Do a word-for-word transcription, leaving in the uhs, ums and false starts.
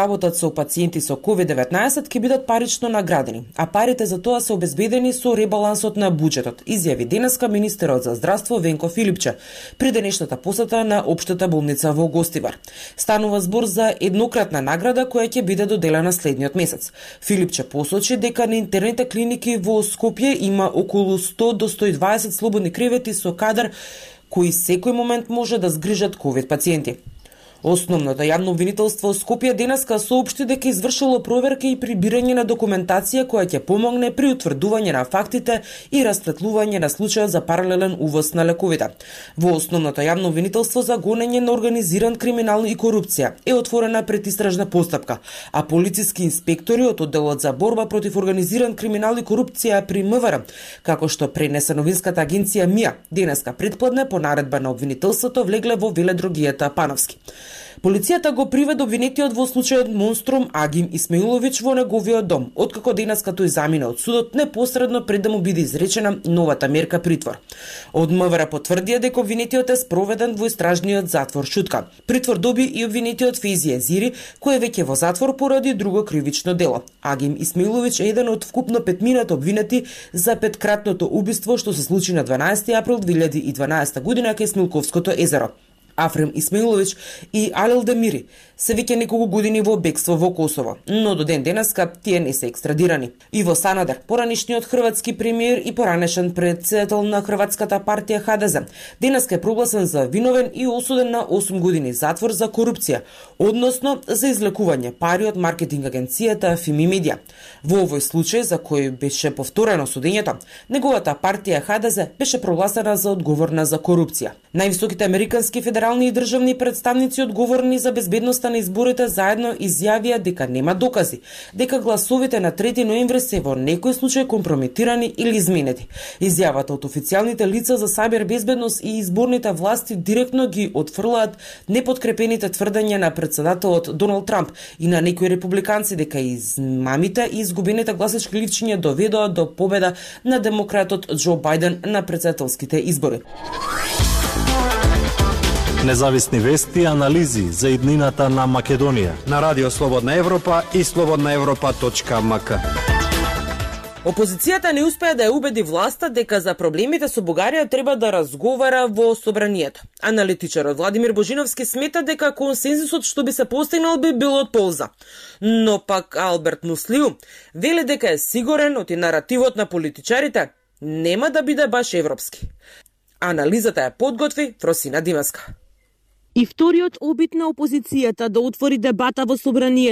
работат со пациенти со ковид деветнаесет ќе бидат парично наградени, а парите за тоа се обезбедени со ребалансот на буџетот, изјави денеска министерот за здравство Венко Филипче при денешната посета на општата болница во Гостивар. Станува збор за еднократна награда која ќе биде доделена следниот месец. Филипче посочи дека на интерните клиники во Скопје има околу сто до сто и дваесет слободни кревети со кадар кои секој момент може да згрижат ковид пациенти. Основното јавно обвинителство Скопје денеска соопшти дека извршило проверка и прибирање на документација која ќе помогне при утврдување на фактите и расветлување на случајот за паралелен увоз на лековите. Во основното јавно обвинителство за гонење на организиран криминал и корупција е отворена предистражна постапка, а полициски инспектори од одделот за борба против организиран криминал и корупција при МВР, како што пренесе новинската агенција МИА, денеска предпладне по наредба на обвинителството влегле во веледрогијата Пановски. Полицијата го приведе обвинетиот во случајот Монструм Агим Исмаилович во неговиот дом, откако денеска тој замина од судот непосредно пред да му биде изречена новата мерка притвор. Од МВР потврдија дека обвинетиот е спроведен во истражниот затвор Шутка. Притвор доби и обвинетиот Фейзи Езири, кој е веќе во затвор поради друго кривично дело. Агим Исмаилович е еден од вкупно петмината обвинети за петкратното убиство што се случи на дванаесети април две илјади и дванаесета година кај Смилковското езеро. Афрем Исмаилович и Алел Демири се веќе неколку години во бегство во Косово, но до ден денеска тие не се екстрадирани. Иво Санадер, поранешниот хрватски премиер и поранешен председател на Хрватската партија Ха Де Зе, денеска е прогласен за виновен и осуден на осум години затвор за корупција, односно за излекување пари од маркетинг агенцијата Фими Медија. Во овој случај, за кој беше повторено судењето, неговата партија Ха Де Зе беше прогласена за одговорна за корупција. Највисоките американски федерални и државни представници одговорни за безбедноста на изборите заедно изјавија дека нема докази, дека гласовите на трети ноември се во некој случај компрометирани или изменети. Изјавата од официјалните лица за сабер безбедност и изборните власти директно ги отфрлаат непоткрепените тврдења на председателот Доналд Трамп и на некои републиканци дека измамите и изгубените гласачки ливчиња доведоа до победа на демократот Џо Бајден на председателските избори. Независни вести и анализи за иднината на Македонија на Радио Слободна Европа и слободна европа точка ем ка. Опозицијата не успеа да ја убеди власта дека за проблемите со Бугарија треба да разговара во собранието. Аналитичарот Владимир Божиновски смета дека консензусот што би се постигнал би бил од полза. Но пак Алберт Муслиу вели дека е сигурен оти наративот на политичарите нема да биде баш европски. Анализата ја подготви Фросина Димаска. И вториот обид на опозицијата да отвори дебата во собранието